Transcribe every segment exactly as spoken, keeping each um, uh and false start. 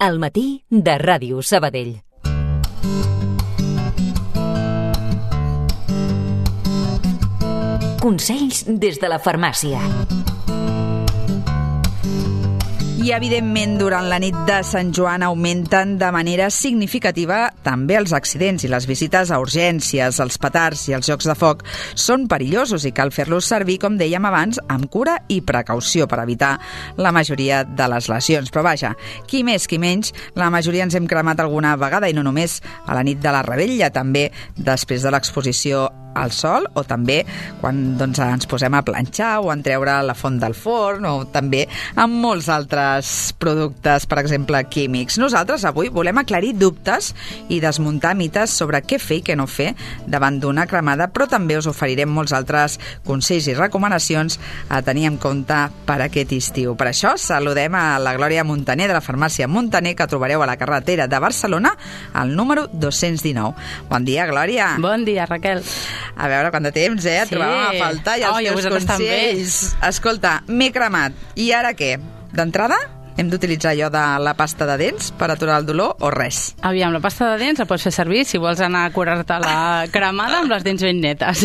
Al matí de Ràdio Sabadell. Consells des de la farmàcia. I, evidentment, durant la nit de Sant Joan augmenten de manera significativa també els accidents i les visites a urgències, els petards i els jocs de foc són perillosos i cal fer-los servir, com dèiem abans, amb cura i precaució per evitar la majoria de les lesions. Però vaja, qui més, qui menys, la majoria ens hem cremat alguna vegada, i no només a la nit de la revetlla, també després de l'exposició al sol, o també quan doncs, ens posem a planxar o en treure la font del forn, o també amb molts altres productes, per exemple, químics. Nosaltres avui volem aclarir dubtes i desmuntar mites sobre què fer i què no fer davant d'una cremada, però també us oferirem molts altres consells i recomanacions a tenir en compte per aquest estiu. Per això saludem a la Glòria Montaner de la farmàcia Montaner, que trobareu a la carretera de Barcelona al número dos-cents dinou. Bon dia, Glòria. Bon dia, Raquel. A veure, quant de temps, eh? Et sí. trobàvem a faltar i els oh, teus consells. Escolta, m'he cremat. I ara què? D'entrada, hem d'utilitzar allò de la pasta de dents per aturar el dolor o res? Aviam, la pasta de dents la pots fer servir si vols anar a curar-te la cremada amb les dents ben netes.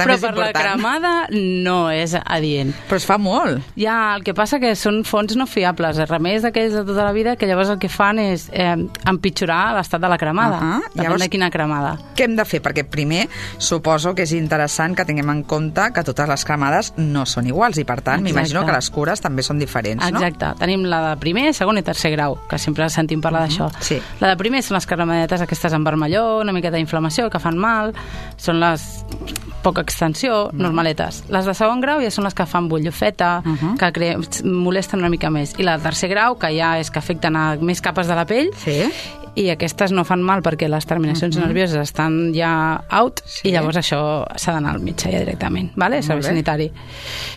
Però per la cremada no és adient. Però es fa molt. Ja, el que passa que són fonts no fiables, remeis d'aquells de tota la vida, que llavors el que fan és eh, empitjorar l'estat de la cremada. Uh -huh. Depèn llavors, de quina cremada. Què hem de fer? Perquè primer suposo que és interessant que tinguem en compte que totes les cremades no són iguals i, per tant, m'imagino que les cures també són diferents, no? Exacte. Tenim la de primer, segon i tercer grau, que sempre sentim parlar d'això. Sí. La de primer són les cremadetes aquestes amb vermelló, una miqueta d'inflamació, que fan mal, són les poca extensió, mm. normaletes. Les de segon grau ja són les que fan bullofeta, uh -huh. que cre... molesten una mica més. I la de tercer grau, que ja és que afecten a més capes de la pell, sí. i aquestes no fan mal perquè les terminacions uh-huh. nervioses estan ja out, sí. i llavors això s'ha d'anar al metge ja directament, vale? Servei sanitari.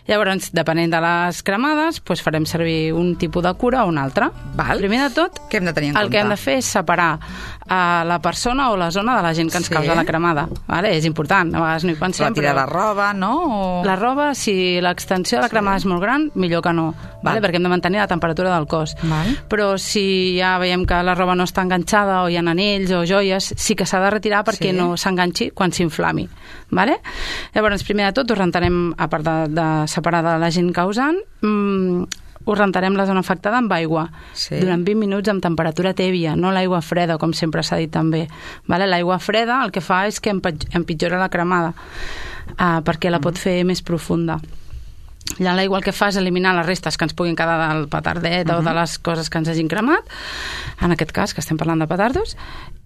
Llavors, depenent de les cremades, doncs farem servir un tipus de cura o un altre. Val. Primer de tot, què hem de tenir en el compte? que hem de fer és separar a la persona o la zona de la gent que ens sí. causa la cremada. Vale? És important, a vegades no hi pensem. Retirar però... la roba, no? O... La roba, si l'extensió de la cremada sí. és molt gran, millor que no, vale? Perquè hem de mantenir la temperatura del cos. Val. Però si ja veiem que la roba no està enganxada o hi ha anells o joies, sí que s'ha de retirar perquè sí. no s'enganxi quan s'inflami. Vale? Llavors, primer de tot, ho rentarem, a part de, de separar de la gent causant, mmm, ho rentarem la zona afectada amb aigua sí. durant vint minuts amb temperatura tèbia, no l'aigua freda, com sempre s'ha dit també. Vale? L'aigua freda el que fa és que empitjora la cremada, uh, perquè la pot fer més profunda. L'aigua el que fa és eliminar les restes que ens puguin quedar del petardet uh-huh. o de les coses que ens hagin cremat, en aquest cas, que estem parlant de petardos,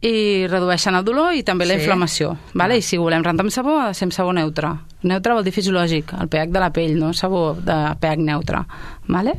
i redueixen el dolor i també sí. la inflamació. Vale? I si volem rentar amb sabó, ha de ser amb sabó neutre. Neutre vol dir fisiològic, el pH de la pell, no sabó de pH neutre. Vale?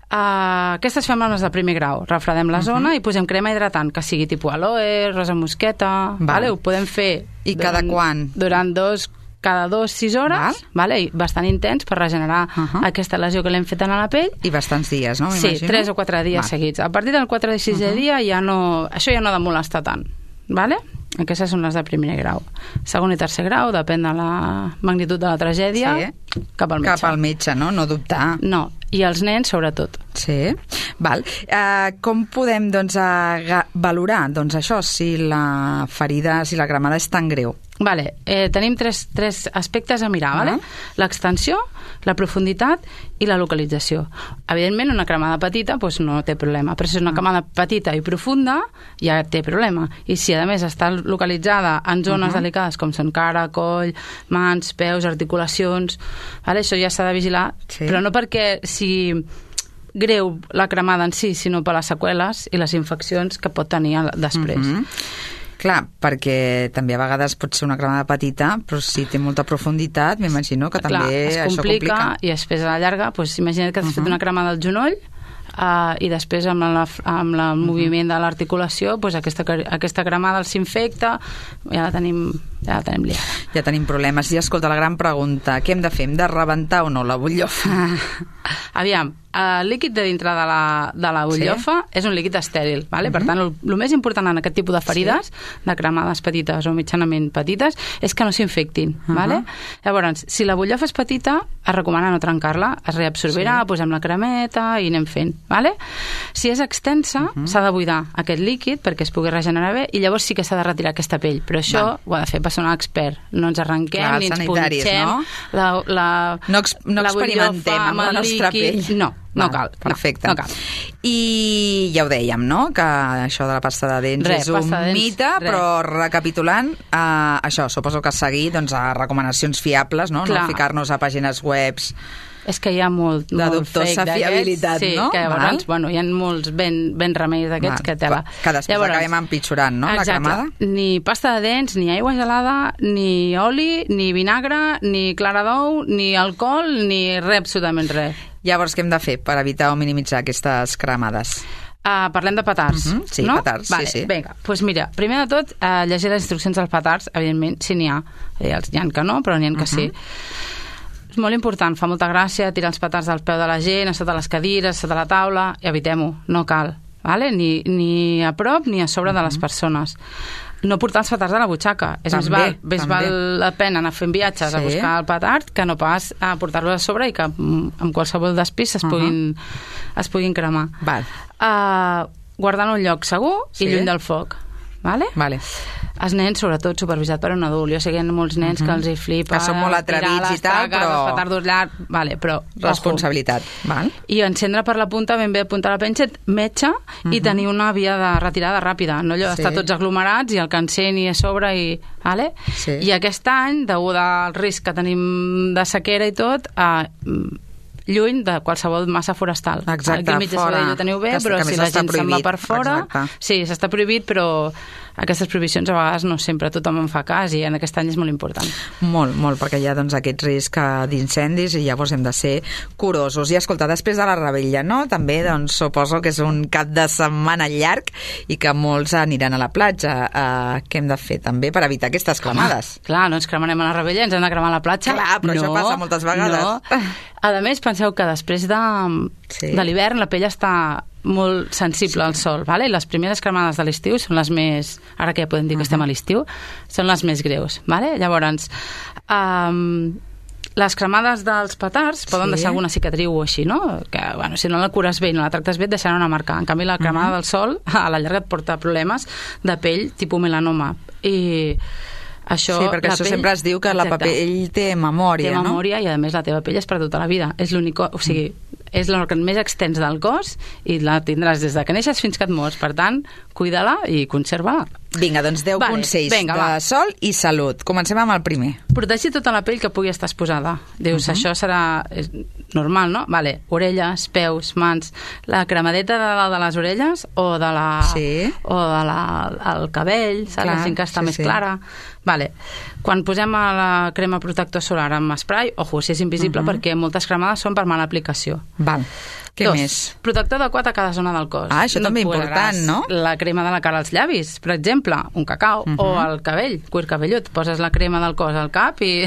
Uh, aquestes fem amb les de primer grau. Refredem la uh-huh. zona i posem crema hidratant, que sigui tipus aloe, rosa mosqueta. Vale. Vale? Ho podem fer I durant, cada quan? Durant dos cada dos, sis hores, Val. Vale? I bastant intens per regenerar uh-huh. aquesta lesió que l'hem fet a la pell. I bastants dies, no? Sí, tres o quatre dies Val. seguits. A partir del quatre i sisè uh-huh. dia ja no, això ja no ha de molestar tant. Vale? Aquestes són les de primer grau. Segon i tercer grau, depèn de la magnitud de la tragèdia, sí. cap al metge. Cap al metge, no? No dubtar. No, i els nens sobretot. Sí, val. Uh, com podem doncs, uh, valorar doncs, això, si la ferida, si la cremada és tan greu? Vale, eh, tenim tres, tres aspectes a mirar, uh-huh. vale? L'extensió, la profunditat i la localització. Evidentment, una cremada petita doncs, no té problema, però si és una cremada petita i profunda, ja té problema. I si, a més, està localitzada en zones uh-huh. delicades, com són cara, coll, mans, peus, articulacions, vale? Això ja s'ha de vigilar, sí. però no perquè si greu la cremada en si, sinó per les seqüeles i les infeccions que pot tenir després. Uh-huh. Clar, perquè també a vegades pot ser una cremada petita, però si té molta profunditat, m'imagino que Clar, també es això complica, complica. I després a la llarga, doncs, imagina't que has uh-huh. fet una cremada al genoll uh, i després amb, la, amb el uh-huh. moviment de l'articulació doncs aquesta, aquesta cremada els infecta, ja la tenim ja la tenim liada. Ja tenim problemes. I escolta, la gran pregunta, què hem de fer? Hem de rebentar o no la butllofa? Ah, aviam, el líquid de dintre de la, de la butllofa sí? És un líquid estèril, vale? Uh -huh. Per tant, el, el més important en aquest tipus de ferides, sí? De cremades petites o mitjanament petites, és que no s'infectin, uh -huh. Vale? Llavors, si la butllofa és petita, es recomana no trencar-la, es reabsorbirà, sí? Posem la cremeta i anem fent, vale? Si és extensa, uh -huh. S'ha de buidar aquest líquid perquè es pugui regenerar bé i llavors sí que s'ha de retirar aquesta pell, però això Va. Ho ha de fer personal expert, no ens arrenquem Clar, ni ens punxem no? la, la, no, ex no la experimentem amb la nostra líquid. pell. No, no cal. Perfecte. No, no cal. I ja ho dèiem, no?, que això de la pasta de dents res, és un dents, mite, res. Però recapitulant, eh, això, suposo que seguir doncs, a recomanacions fiables, no? Clar. No ficar-nos a pàgines webs és que hi ha molt, de molt dubtosa fake fiabilitat, sí, no? que llavors, bueno, hi ha molts ben, ben remeis d'aquests que tela. Que després llavors, acabem empitjorant, no?, exacte, la cremada. Ni pasta de dents, ni aigua gelada, ni oli, ni vinagre, ni clara d'ou, ni alcohol, ni res, absolutament res. Llavors, què hem de fer per evitar o minimitzar aquestes cremades? Uh, parlem de petards, uh -huh. Sí, no? petards, vale, sí, sí. Vinga, doncs mira, primer de tot, uh, llegir les instruccions dels petards, evidentment, si n'hi ha. Hi ha que no, però n'hi ha que uh -huh. sí. És molt important, fa molta gràcia tirar els petards al peu de la gent, a sota les cadires, a sota la taula, i evitem-ho, no cal, vale? ni, ni a prop ni a sobre uh -huh. de les persones. No portar els petards a la butxaca. És també, més val, més val la pena anar fent viatges sí. a buscar el petard que no pas a portar-lo a sobre i que amb qualsevol despís es, uh -huh. puguin, es puguin cremar. Val. Uh, guardant un lloc segur sí. i lluny del foc. Vale? Vale. Els nens, sobretot, supervisat per un adult. Jo sé que hi ha molts nens uh -huh. que els hi flipa que són molt atrevits i tal, però... els petardos llargs, vale, però... Responsabilitat. Val. I encendre per la punta, ben bé apuntar la penxa, metge, uh -huh. i tenir una via de retirada ràpida. No allò d'estar sí. tots aglomerats i el que encén a sobre i... Vale? Sí. I aquest any, degut al risc que tenim de sequera i tot, eh, lluny de qualsevol massa forestal. Exacte, aquí fora. Ho teniu bé, que, però que si la gent se'n va per fora... Exacte. Sí, s'està prohibit, però aquestes prohibicions a vegades no sempre tothom en fa cas i en aquest any és molt important. Molt, molt, perquè hi ha doncs, aquest risc d'incendis i llavors hem de ser curosos. I escolta, després de la revetlla, no? També doncs, suposo que és un cap de setmana llarg i que molts aniran a la platja. Uh, què hem de fer també per evitar aquestes cremades? Clar, clar, no ens cremarem a la revetlla, ens hem de cremar a la platja. Clar, però no, això passa moltes vegades. No. A més, penseu que després de, sí. de l'hivern la pell està molt sensible sí. al sol, vale? I les primeres cremades de l'estiu són les més, ara que ja podem dir que uh -huh. estem a l'estiu, són les més greus, vale? Llavors, um, les cremades dels petards poden sí. deixar alguna cicatriu o així, no? Que, bueno, si no la cures bé i no la tractes bé, et deixarà una marca. En canvi, la cremada uh -huh. del sol, a la llarga et porta problemes de pell tipus melanoma. I això, sí, perquè això pell, sempre es diu que exacte, la pell té memòria, té no? Té memòria i, a més, la teva pell és per tota la vida. És l'únic... O sigui, és l'òrgan més extens del cos i la tindràs des de que neixes fins que et mors. Per tant, cuida-la i conserva-la. Vinga, doncs deu vale, consells venga, de va. sol i salut. Comencem amb el primer. Protegir tota la pell que pugui estar exposada. Dius, uh -huh. això serà normal, no? Vale, orelles, peus, mans... La cremadeta de dalt de les orelles o de la... Sí. o de la, el cabell, saps? La gent que està sí, més sí. clara. Vale. Quan posem a la crema protector solar amb spray, ojo, si és invisible, uh -huh. perquè moltes cremades són per mala aplicació. Val. Què Dos, més? Protector adequat a cada zona del cos. Ah, això no també important, no? La crema de la cara als llavis, per exemple, un cacau, uh -huh. o al cabell, cuir cabellut. Poses la crema del cos al cap i...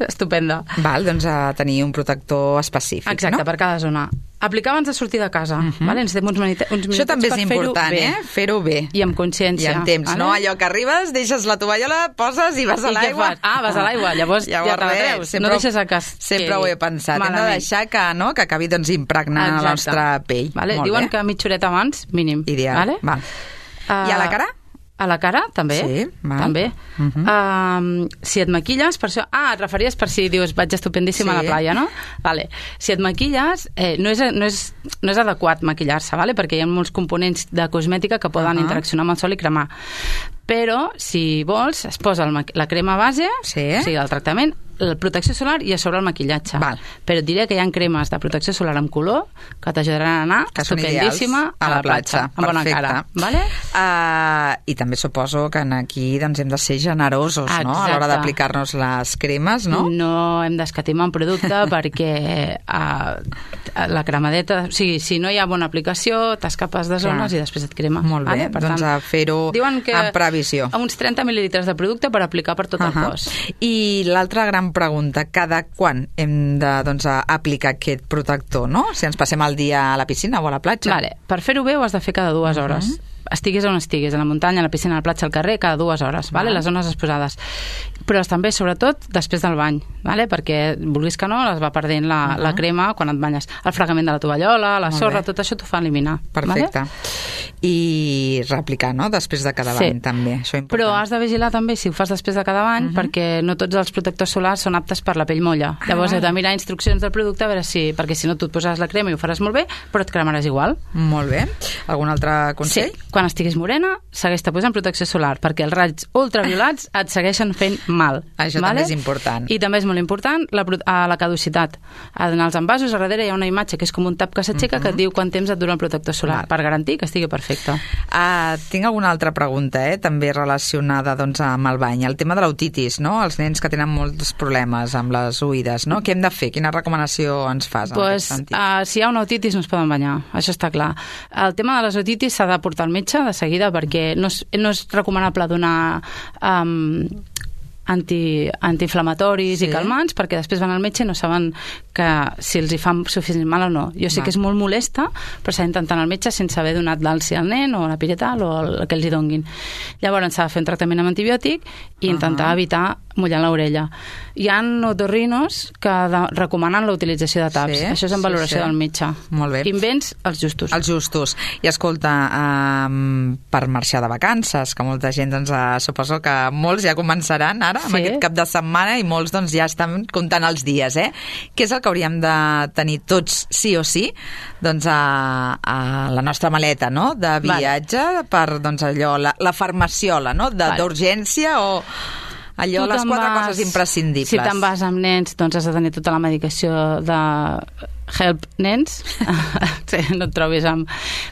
estupenda. Val, doncs a tenir un protector específic, exacte, no? per cada zona. Aplicar abans de sortir de casa. Uh -huh. Vale? Ens uns, minut uns minuts això també és important, fer-ho eh? Fer-ho bé. I amb consciència. I amb temps, vale? No? Allò que arribes, deixes la tovallola, poses i vas a l'aigua. Ah, vas a l'aigua, llavors, llavors ja te la treus. Sempre, no deixes a cas. Sempre ho he pensat. Malament. Hem de deixar que, no, que acabi doncs, impregnant exacte. la nostra pell. Vale? Molt Diuen bé. que mitja horeta abans, mínim. Ideal. Vale? Val. Uh, I a la cara? A la cara, també. Sí, val. També. Uh -huh. uh, si et maquilles, per això... Ah, et referies per si dius, vaig estupendíssima sí. a la playa, no? Vale. Si et maquilles, eh, no, és, no, és, no és adequat maquillar-se, vale? Perquè hi ha molts components de cosmètica que poden uh -huh. interaccionar amb el sol i cremar. Però, si vols, es posa el, la crema base, sí. o sigui, el tractament, la protecció solar i a sobre el maquillatge. Val. Però et diré que hi ha cremes de protecció solar amb color que t'ajudaran a anar que són estupendíssima a la platja, amb bona cara. Vale? Uh, I també suposo que aquí doncs, hem de ser generosos, Exacte. no? A l'hora d'aplicar-nos les cremes, no? No hem d'escatimar un producte perquè uh, la cremadeta, o sigui, si no hi ha bona aplicació, t'escapes de zones Clar. I després et crema. Molt bé, vale? Per doncs tant, a fer-ho amb previsió. Uns trenta mil·lilitres de producte per aplicar per tot uh -huh. el cos. I l'altra gran pregunta, cada quan hem de doncs, aplicar aquest protector, no? Si ens passem el dia a la piscina o a la platja. Vale. Per fer-ho bé ho has de fer cada dues hores. Uh -huh. Estiguis on estiguis, a la muntanya, a la piscina, a la platja, al carrer, cada dues hores, vale? Les zones exposades. Però també, sobretot, després del bany, vale? Perquè, vulguis que no, es va perdent la, uh -huh. la crema quan et banyes. El fregament de la tovallola, la Molt sorra, bé. Tot això t'ho fa eliminar. Perfecte. Vale? I reaplicar, no?, després de cada bany, sí. també. Això important. Però has de vigilar també si ho fas després de cada bany, uh -huh. perquè no tots els protectors solars són aptes per la pell molla. Ah. Llavors heu de mirar instruccions del producte a veure si... Perquè si no, tu et posaràs la crema i ho faràs molt bé, però et cremaràs igual. Molt bé. Algun altre consell? Sí. Quan estiguis morena, segueix-te posant protecció solar, perquè els raigs ultraviolats et segueixen fent mal. Això vale? també és important. I també és molt important la, la caducitat. En els envasos, a darrere hi ha una imatge que és com un tap que s'aixeca uh -huh. que et diu quant temps et dura el protector solar, Val. Per garantir que estigui perfecte. Uh, tinc alguna altra pregunta, eh? també relacionada doncs, amb el bany. El tema de l'otitis, no? Els nens que tenen molts problemes amb les oïdes, no? Què hem de fer? Quina recomanació ens fas en pues, aquest sentit? Uh, si hi ha una otitis no es poden banyar, això està clar. El tema de les otitis s'ha de portar al metge de seguida perquè no és, no és recomanable donar um, anti, antiinflamatoris sí. i calmants perquè després van al metge i no saben que si els hi fan suficient mal o no. Jo sé Va. que és molt molesta, però s'ha d'intentar anar al metge sense haver donat l'alci al nen o la piretal o el que els hi donguin. Llavors s'ha de fer un tractament amb antibiòtic i intentar uh -huh. evitar mullar l'orella. Hi ha otorrinos que de, recomanen la utilització de taps. Sí, Això és en valoració sí, sí. del metge. Molt bé. Invents, els justos. Els justos. I escolta, um, per marxar de vacances, que molta gent, doncs, uh, suposo que molts ja començaran ara, sí. amb aquest cap de setmana, i molts doncs, ja estan comptant els dies, eh? Què és el que hauríem de tenir tots, sí o sí, doncs, a, a la nostra maleta, no?, de viatge, vale. per, doncs, allò, la, la farmaciola, no?, d'urgència vale. o... allò, les quatre vas, coses imprescindibles. Si te'n vas amb nens, doncs has de tenir tota la medicació de Help Nens. Sí, no et trobis amb...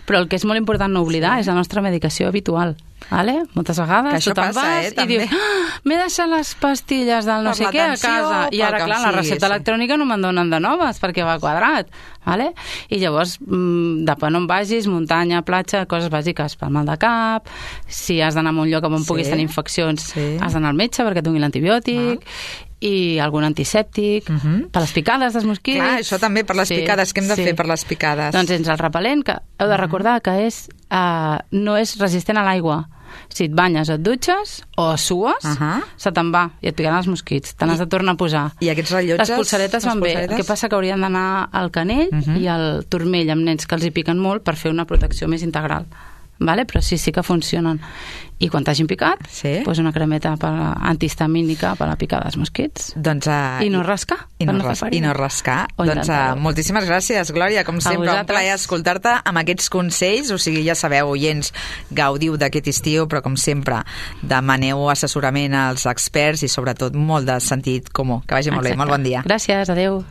Però el que és molt important no oblidar sí. és la nostra medicació habitual. Vale? Moltes vegades tu te'n vas eh, i dius ah, m'he deixat les pastilles del no per sé què a casa i ara clar, la recepta sí. electrònica no me'n donen de noves perquè va quadrat, vale? I llavors depèn on vagis, muntanya, platja, coses bàsiques pel mal de cap, si has d'anar a un lloc on sí. puguis tenir infeccions sí. has d'anar al metge perquè et doni l'antibiòtic ah. i algun antisèptic uh -huh. per les picades dels mosquits. Clar, això també per les sí, picades, què hem de sí. fer per les picades? Doncs ens el repel·lent, que heu de recordar que és, uh, no és resistent a l'aigua. Si et banyes, et dutxes o sues, uh -huh. se te'n va i et picaran els mosquits, te n'has de tornar a posar. I aquests rellotges? Les polseretes van bé, el que passa que haurien d'anar al canell uh -huh. i al turmell amb nens que els hi piquen molt per fer una protecció més integral. Vale? Però sí, sí que funcionen. I quan t'hagin picat, sí. pues una cremeta per antihistamínica per a picar dels mosquits. Doncs, uh, I no rascar. I no, no, ras i no rascar. O doncs uh, moltíssimes gràcies, Glòria. Com sempre, un plaer escoltar-te amb aquests consells. O sigui, ja sabeu, oients, gaudiu d'aquest estiu, però com sempre, demaneu assessorament als experts i sobretot molt de sentit comú. Que vagi molt Exacte. bé. Molt bon dia. Gràcies, adeu.